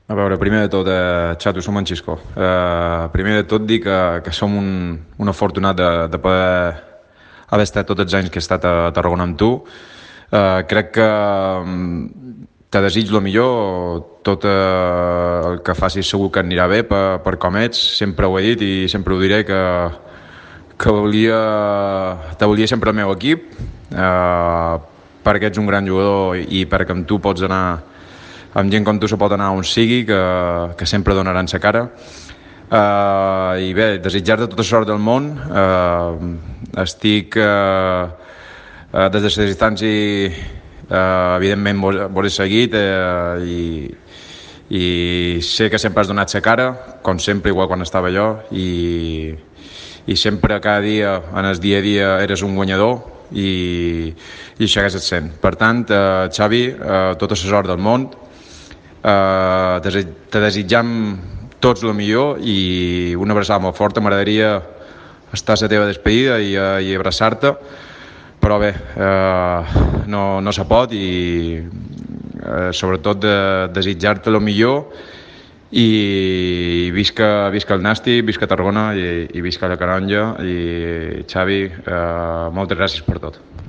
A veure, primer de tot, xato, som en Xisco. Primer de tot dir que som un afortunat de poder haver estat tots els anys que he estat a Tarragona amb tu. Crec que te desitjo el millor, tot el que facis segur que anirà bé per com ets, sempre ho he dit i sempre ho diré que te volia sempre al meu equip, perquè ets un gran jugador i perquè amb tu pots anar, amb gent com tu se pot anar on sigui, que sempre donaran sa cara. I bé, desitjar-te tota sort del món. Estic des de la distància, evidentment vos he seguit, i sé que sempre has donat sa cara, com sempre, igual quan estava jo, i sempre, cada dia, en el dia a dia, eres un guanyador, i això hagués sent. Per tant, Xavi, tota la sort del món. Te desitjam tots el millor i una abraçada molt forta. M'agradaria estar a la teva despedida i abraçar-te, però bé, no se pot, i sobretot desitjar-te el millor, i visca el Nasti, visca Tarragona i visca la Canonja. I Xavi, moltes gràcies per tot.